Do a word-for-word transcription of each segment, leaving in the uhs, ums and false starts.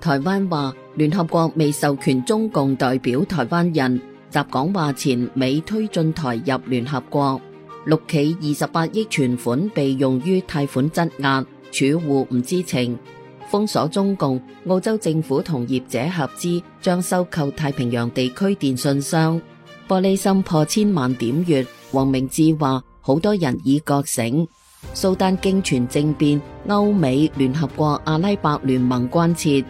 台灣話聯合國未授權中共代表台灣人集講話前美推進台入聯合國。六企二十八億存款被用於貸款質押，儲戶唔知情。封鎖中共，澳洲政府同業者合資將收購太平洋地區電信商。玻璃心破千萬點閱，黃明志話好多人已覺醒。蘇丹經傳政變，歐美聯合國阿拉伯聯盟關切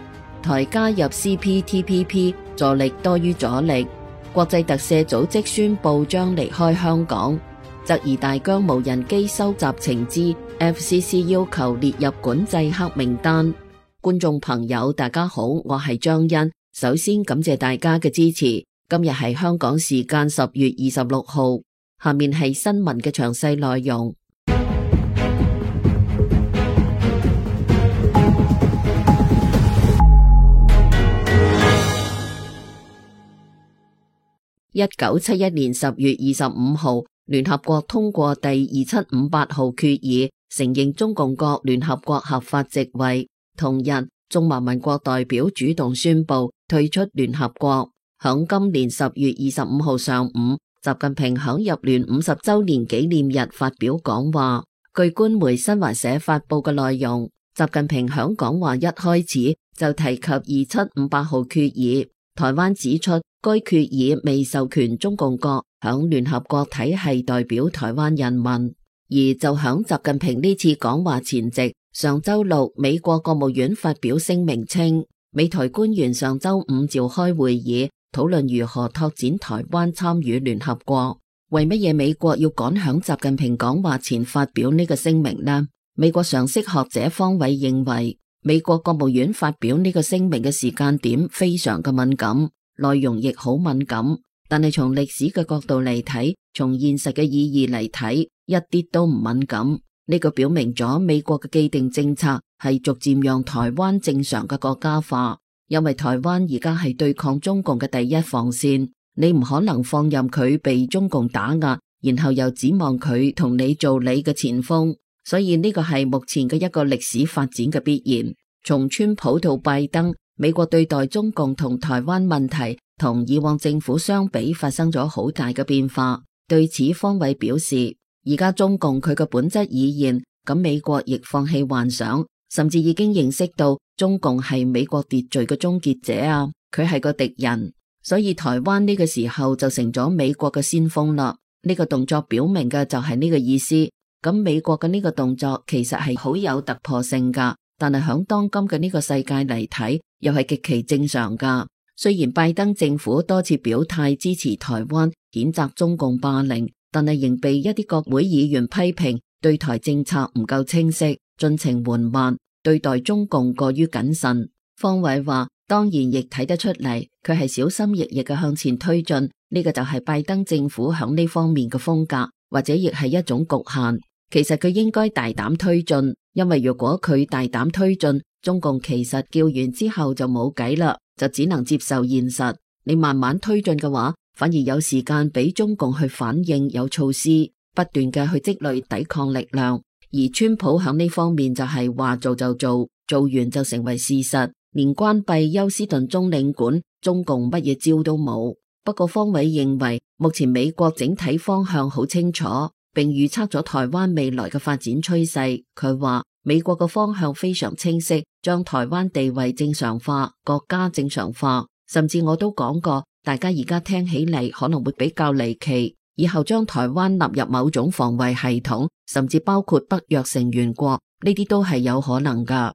台加入 C P T P P 助力多於阻力。國際特赦組織宣布將離開香港。質疑大疆無人機收集情資 ，F C C 要求列入管制黑名單。觀眾朋友大家好，我係張欣，首先感謝大家嘅支持。今日係香港時間十月二十六號，下面係新聞嘅詳細內容。一九七一年十月二十五號，聯合國通過第二七五八號決議，承認中共國聯合國合法席位。同日，中華民國代表主動宣布退出聯合國。響今年十月二十五號上午，習近平響入聯五十周年紀念日發表講話。據官媒新華社發佈嘅內容，習近平響講話一開始就提及二七五八號決議。台灣指出，該決議未授權中共國響聯合國體系代表台灣人民。而就響習近平呢次講話前夕，上周六，美國國務院發表聲明稱，美台官員上周五召開會議，討論如何拓展台灣參與聯合國。為乜嘢美國要趕響習近平講話前發表呢個聲明呢？美國常識學者方偉認為，美國國務院發表呢個聲明嘅時間點非常嘅敏感，內容亦好敏感。但係從歷史嘅角度嚟睇，從現實嘅意義嚟睇，一啲都唔敏感。呢個表明咗美國嘅既定政策係逐漸讓台灣正常嘅國家化，因為台灣而家係對抗中共嘅第一防線，你唔可能放任佢被中共打壓，然後又指望佢同你做你嘅前鋒，所以呢個係目前嘅一個歷史發展嘅必然。從川普到拜登，美國對待中共同台灣問題同以往政府相比發生咗好大嘅變化。對此，方偉表示，而家中共佢嘅本質已現，咁美國亦放棄幻想，甚至已經認識到中共係美國秩序嘅終結者啊，佢係個敵人，所以台灣呢個時候就成咗美國嘅先鋒啦。呢個動作表明嘅就係呢個意思。咁美國嘅呢個動作其實係好有突破性噶，但係響當今嘅呢個世界嚟睇，又係極其正常噶。雖然拜登政府多次表態支持台灣，譴責中共霸凌，但係仍被一啲國會議員批評對台政策唔夠清晰，進程緩慢，對待中共過於謹慎。方偉話，當然亦睇得出嚟，佢係小心翼翼嘅向前推進，呢個就係拜登政府響呢方面嘅風格，或者亦係一種局限。其實佢應該大膽推進，因為如果佢大膽推進，中共其實叫完之後就冇計啦，就只能接受現實。你慢慢推進嘅話，反而有時間俾中共去反應，有措施不斷嘅去積累抵抗力量。而川普響呢方面就係話做就做，做完就成為事實，連關閉休斯頓中領館，中共乜嘢招都冇。不過方偉認為，目前美國整體方向好清楚，並預測咗台灣未來嘅發展趨勢。佢話美國嘅方向非常清晰，將台灣地位正常化，國家正常化。甚至我都講過，大家而家聽起嚟可能會比較離奇，以後將台灣納入某種防衛系統，甚至包括北約成員國，呢啲都係有可能噶。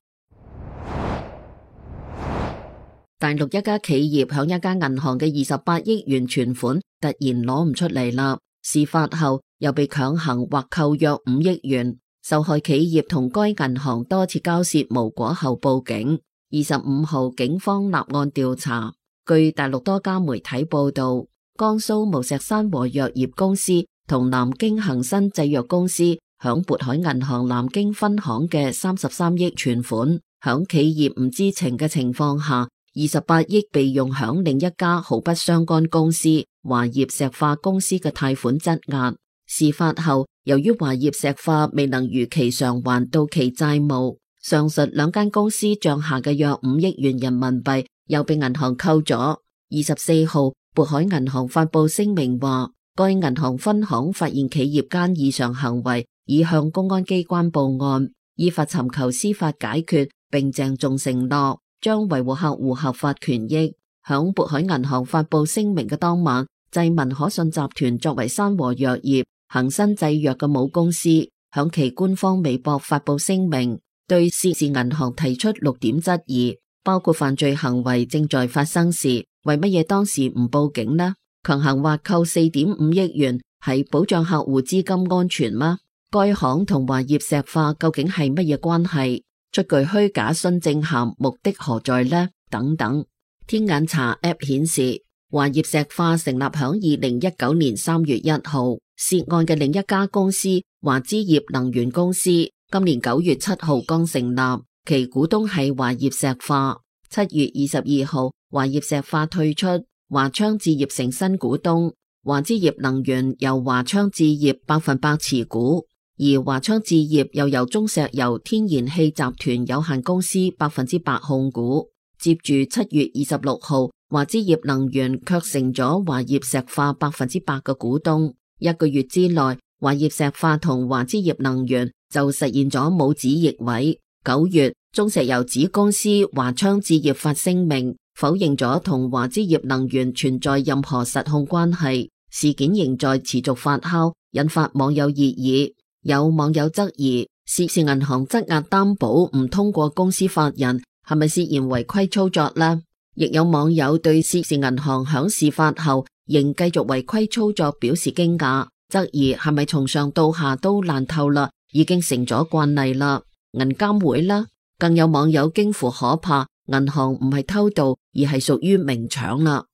大陸一家企業響一家銀行嘅二十八億元存款突然攞唔出嚟啦，事發後又被強行或扣約五億元。受害企業同該銀行多次交涉無果後報警。二十五號警方立案調查。據大陸多家媒體報道，江蘇無錫山和藥業公司同南京恒生製藥公司響渤海銀行南京分行嘅三十三億存款，響企業唔知情嘅情況下，二十八億被用響另一家毫不相干公司華業石化公司嘅貸款質押。事發後，由於華業石化未能如期償還到期債務，上述兩間公司賬下嘅約五億元人民幣又被銀行扣咗。二十四號，渤海銀行發佈聲明話，該銀行分行發現企業間異常行為，已向公安機關報案，依法尋求司法解決，並鄭重承諾將維護客戶合法權益。響渤海銀行發佈聲明嘅當晚，濟民可信集團作為山和藥業、恒生製藥嘅母公司，響其官方微博發佈聲明，對涉事銀行提出六點質疑，包括犯罪行為正在發生時，為乜嘢當時唔報警呢？強行劃扣四點五億元係保障客戶資金安全嗎？該行同華業石化究竟係乜嘢關係？出具虛假詢證函目的何在呢？等等。天眼查 App 顯示，華業石化成立響二零一九年三月一號，涉案嘅另一家公司華資業能源公司，今年九月七號剛成立，其股東係華業石化。七月二十二號，華業石化退出，華昌置業成新股東，華資業能源由華昌置業百分百持股，而華昌置業又由中石油天然氣集團有限公司百分之百控股。接住七月二十六號，華資業能源卻成咗華業石化百分之百嘅股東。一個月之內，華業石化同華資業能源就實現咗母子易位。九月，中石油子公司華昌置業發聲明，否認咗同華資業能源存在任何實控關係。事件仍在持續發酵，引發網友熱議。有網友質疑，涉事銀行質押擔保唔通過公司法人，係咪涉嫌違規操作呢？亦有網友對涉事銀行響事發後仍繼續違規操作表示驚訝，質疑係咪從上到下都爛透啦，已經成咗慣例啦。銀監會啦，更有網友驚呼可怕，銀行唔係偷盜，而係屬於明搶啦。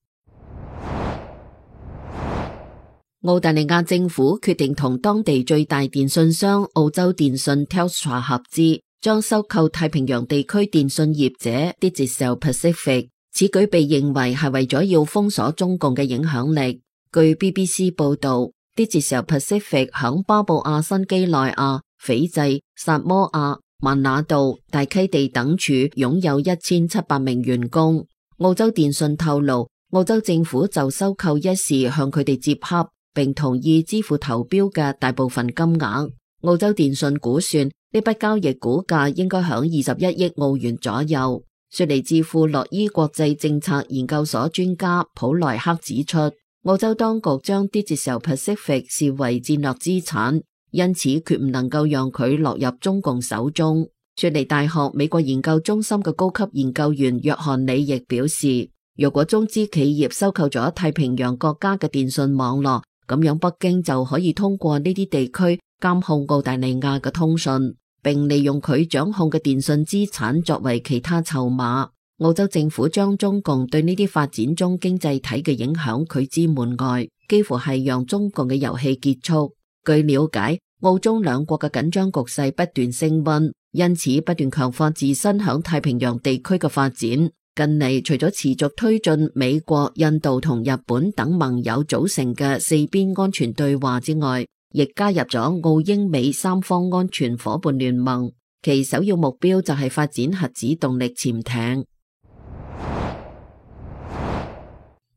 澳大利亞政府決定同當地最大電信商澳洲電信 Telstra 合資，將收購太平洋地區電信業者 Digicel Pacific， 此舉被認為係為咗要封鎖中共嘅影響力。據 B B C 報道， Digicel Pacific 響巴布亞新畿內亞、斐濟、薩摩亞、萬那杜、大溪地等處擁有一千七百名員工。澳洲電信透露，澳洲政府就收購一事向佢哋接洽，並同意支付投標嘅大部分金額。澳洲電信估算呢筆交易股價應該響二十一億澳元左右。雪梨智庫洛伊國際政策研究所專家普萊克指出，澳洲當局將 Digicel Pacific 視為戰略資產，因此決唔能夠讓佢落入中共手中。雪梨大學美國研究中心嘅高級研究員約翰里亦表示，如果中資企業收購咗太平洋國家嘅電信網絡，咁樣北京就可以通過呢啲地區監控澳大利亞嘅通訊，並利用佢掌控嘅電信資產作為其他籌碼。澳洲政府將中共對呢啲發展中經濟體嘅影響拒之門外，幾乎係讓中共嘅遊戲結束。據了解，澳中兩國嘅緊張局勢不斷升溫，因此不斷強化自身響太平洋地區嘅發展。近嚟除咗持續推進美國、印度同日本等盟友組成嘅四邊安全對話之外，亦加入咗澳英美三方安全夥伴聯盟，其首要目標就係發展核子動力潛艇。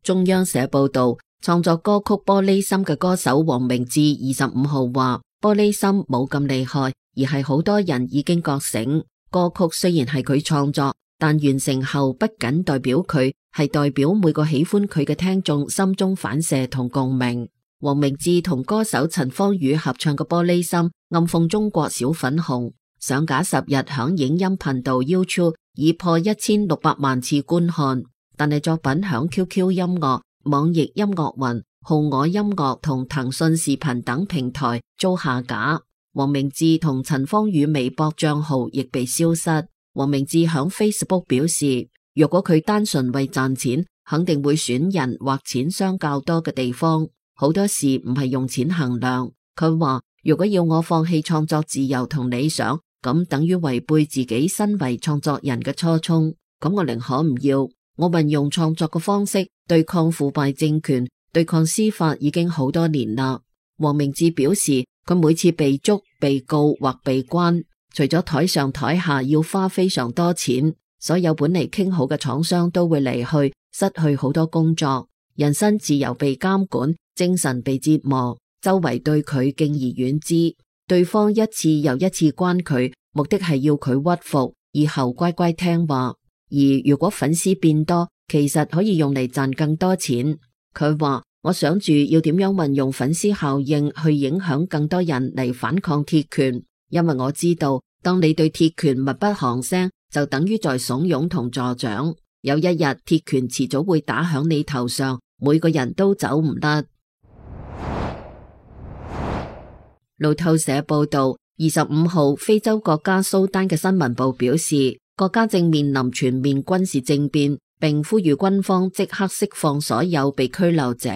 中央社報道，創作歌曲《玻璃心》嘅歌手黃明志二十五號話，玻璃心冇咁厲害，而係好多人已經覺醒。歌曲雖然係佢創作，但完成後不僅代表佢，係代表每個喜歡佢嘅聽眾心中反射同共鳴。黃明志同歌手陳芳語合唱嘅《玻璃心》，暗諷中國小粉紅，上架十日響影音頻道 YouTube 已破一千六百萬次觀看，但係作品響 Q Q 音樂、網易音樂雲、酷我音樂同騰訊視頻等平台遭下架。黃明志同陳芳語微博賬號亦被消失。黃明志響 Facebook 表示，若果佢單純為賺錢，肯定會選人或錢商較多嘅地方。好多事唔係用錢衡量。佢話，如果要我放棄創作自由同理想，咁等於違背自己身為創作人嘅初衷。咁我寧可唔要。我運用創作嘅方式對抗腐敗政權，對抗司法已經好多年啦。黃明志表示，佢每次被捉、被告或被關，除咗台上台下要花非常多錢，所有本嚟傾好嘅廠商都會離去，失去好多工作，人身自由被監管，精神被折磨，周圍對佢敬而遠之，對方一次又一次關佢，目的係要佢屈服，以後乖乖聽話。而如果粉絲變多，其實可以用嚟賺更多錢。佢話：我想住要點樣運用粉絲效應去影響更多人嚟反抗鐵拳，因為我知道，當你對鐵拳密不吭聲，就等於在慫恿同助長。有一日鐵拳遲早會打響你頭上，每個人都走唔得。路透社報道，二十五號非洲國家蘇丹嘅新聞部表示，國家正面臨全面軍事政變，並呼籲軍方即刻釋放所有被拘留者。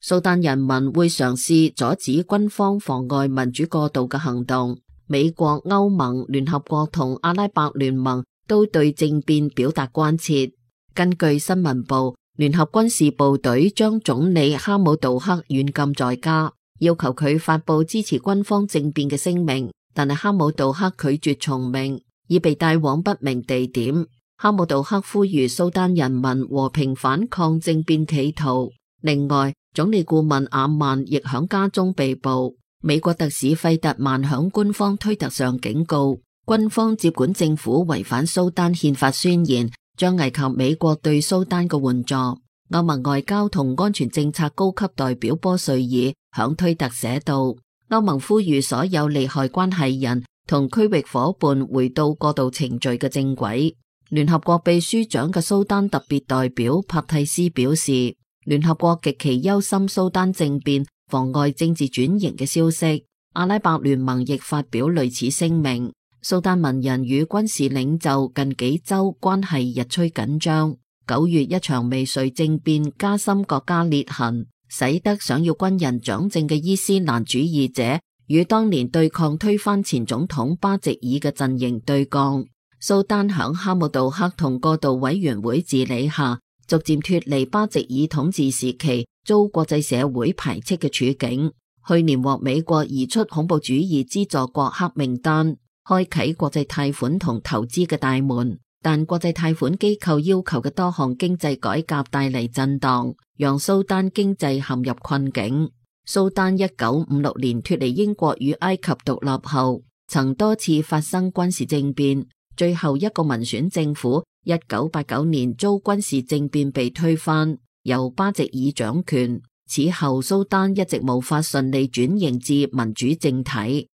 蘇丹人民會嘗試阻止軍方妨礙民主過渡嘅行動。美國、歐盟、聯合國同阿拉伯聯盟都對政變表達關切。根據新聞部，聯合軍事部隊將總理哈姆杜克軟禁在家，要求佢發佈支持軍方政變嘅聲明，但係哈姆杜克拒絕從命，已被帶往不明地點。哈姆杜克呼籲蘇丹人民和平反抗政變企圖。另外，總理顧問阿曼亦響家中被捕。美國特使費特曼響官方推特上警告，軍方接管政府違反蘇丹憲法宣言，將危及美國對蘇丹嘅援助。歐盟外交同安全政策高級代表波瑞爾響推特寫道，歐盟呼籲所有利害關係人同區域夥伴回到過渡程序嘅正軌。聯合國秘書長嘅蘇丹特別代表帕蒂斯表示，聯合國極其憂心蘇丹政變妨礙政治轉型嘅消息。阿拉伯聯盟亦發表類似聲明。蘇丹文人與軍事領袖近幾周關係日趨緊張。九月一場未遂政變加深國家裂痕，使得想要軍人掌政嘅伊斯蘭主義者與當年對抗推翻前總統巴席爾嘅陣營對抗。蘇丹響哈姆杜克同過渡委員會治理下，逐漸脫離巴席爾統治時期遭國際社會排斥嘅處境。去年獲美國移出恐怖主義資助國黑名單，開啟國際貸款同投資嘅大門，但國際貸款機構要求嘅多項經濟改革帶嚟震盪，讓蘇丹經濟陷入困境。蘇丹一九五六年脫離英國與埃及獨立後，曾多次發生軍事政變，最後一個民選政府一九八九年遭軍事政變被推翻，由巴席爾掌權。此後蘇丹一直無法順利轉型至民主政體。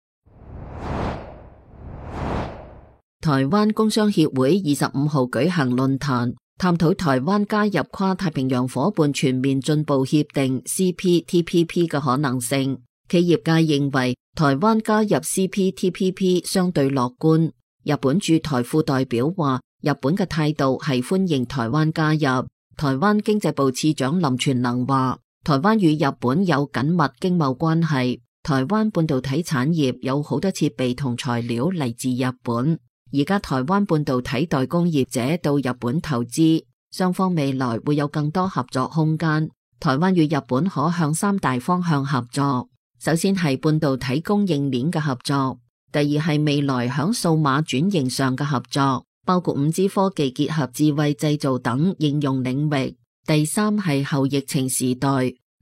台灣工商協會二十五號舉行論壇，探討台灣加入跨太平洋夥伴全面進步協定 C P T P P 嘅可能性。企業界認為台灣加入 C P T P P 相對樂觀。日本駐台副代表話，日本嘅態度係歡迎台灣加入。台灣經濟部次長林全能話，台灣與日本有緊密經貿關係，台灣半導體產業有好多設備同材料嚟自日本。而家台灣半導體代工業者到日本投資，雙方未來會有更多合作空間。台灣與日本可向三大方向合作，首先係半導體供應鏈嘅合作，第二係未來響數碼轉型上嘅合作，包括五 G 科技結合智慧製造等應用領域，第三係後疫情時代，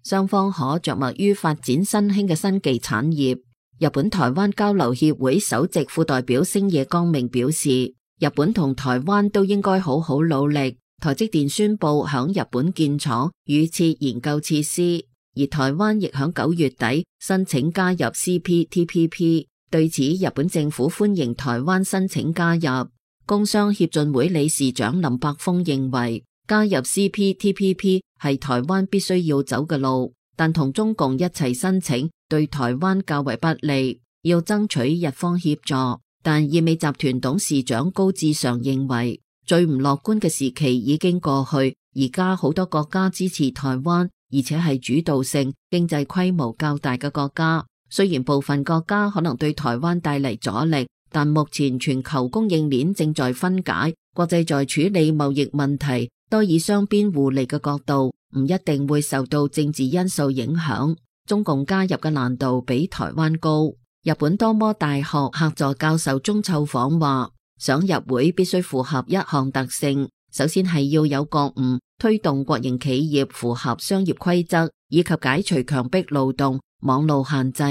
雙方可着墨於發展新興嘅新技產業。日本台灣交流協會首席副代表星野光明表示，日本同台灣都應該好好努力。台積電宣布響日本建廠預設研究設施，而台灣亦響九月底申請加入 C P T P P。對此，日本政府歡迎台灣申請加入。工商協進會理事長林柏峰認為，加入 C P T P P 係台灣必須要走嘅路，但同中共一齊申請對台灣較為不利，要爭取日方協助。但意美集團董事長高志常認為，最唔樂觀嘅時期已經過去，而家好多國家支持台灣，而且係主導性、經濟規模較大嘅國家。雖然部分國家可能對台灣帶嚟阻力，但目前全球供應鏈正在分解，國際在處理貿易問題多以雙邊互利嘅角度，唔一定會受到政治因素影響。中共加入嘅難度比台灣高。日本多摩大學客座教授鍾臭訪話，想入會必須符合一項特性，首先係要有覺悟，推動國營企業符合商業規則，以及解除強迫勞動、網路限制。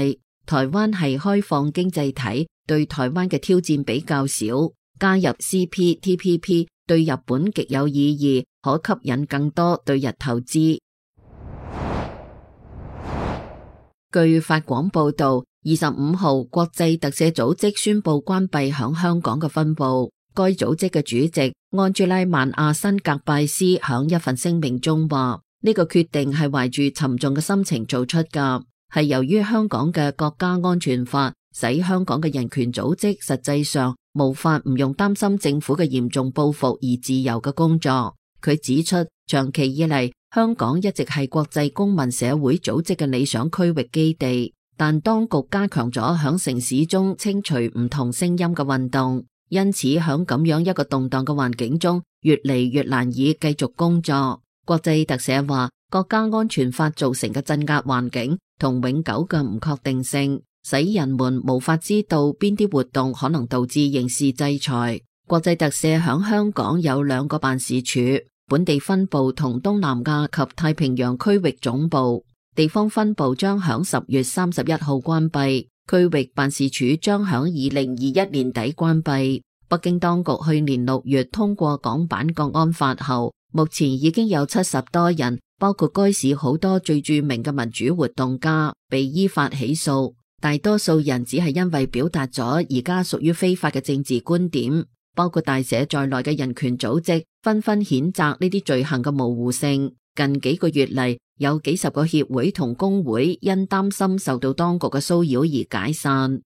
台灣係開放經濟體，對台灣嘅挑戰比較少，加入 C P T P P 對日本極有意義，可吸引更多對日投資。據法廣報道，二十五號國際特赦組織宣布關閉響香港嘅分部。該組織嘅主席安朱拉曼亞辛格拜斯響一份聲明中話，呢個決定係懷住沉重嘅心情做出噶，係由於香港嘅國家安全法使香港嘅人權組織實際上無法唔用擔心政府嘅嚴重報復而自由嘅工作。佢指出，長期以嚟，香港一直係國際公民社會組織嘅理想區域基地，但當局加強咗響城市中清除唔同聲音嘅運動，因此響咁樣一個動盪嘅環境中，越嚟越難以繼續工作。國際特赦話，國家安全法造成嘅鎮壓環境同永久嘅唔確定性，使人們無法知道邊啲活動可能導致刑事制裁。國際特赦響香港有兩個辦事處，本地分部同東南亞及太平洋區域總部，地方分部將響十月三十一號關閉，區域辦事處將響二零二一年底關閉。北京當局去年六月通過港版國安法後，目前已經有七十多人，包括該市好多最著名嘅民主活動家，被依法起訴。大多數人只係因為表達咗而家屬於非法嘅政治觀點。包括大社在內嘅人權組織紛紛譴責呢啲罪行嘅模糊性。近幾個月嚟，有幾十個協會同工會因擔心受到當局嘅騷擾而解散。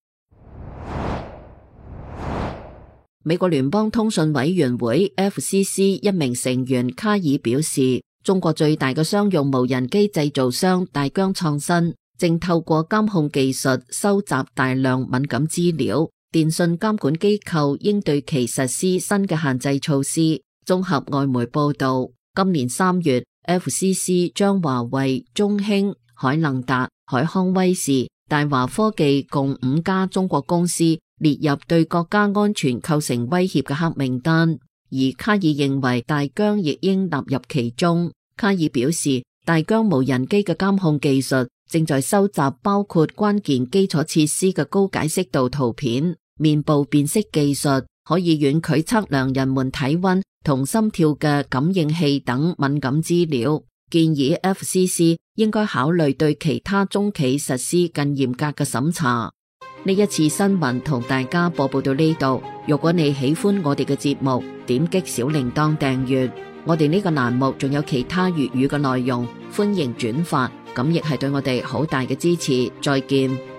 美國聯邦通訊委員會 F C C 一名成員卡爾表示，中國最大嘅商用無人機製造商大疆創新正透過監控技術收集大量敏感資料。電信監管機構應對其實施新嘅限制措施。綜合外媒報道，今年三月 F C C 將華為、中興、海能達、海康威視、大華科技共五家中國公司列入對國家安全構成威脅嘅黑名單，而卡爾認為大疆亦應納入其中。卡爾表示，大疆無人機嘅監控技術正在收集包括關鍵基礎設施嘅高解析度圖片。面部辨識技術可以遠距測量人們體溫同心跳嘅感應器等敏感資料，建議 F C C 應該考慮對其他中企實施更嚴格嘅審查。呢一次新聞同大家播報到呢度，如果你喜歡我哋嘅節目，點擊小鈴鐺訂閱。我哋呢個欄目仲有其他粵語嘅內容，歡迎轉發，咁亦係對我哋好大嘅支持。再見。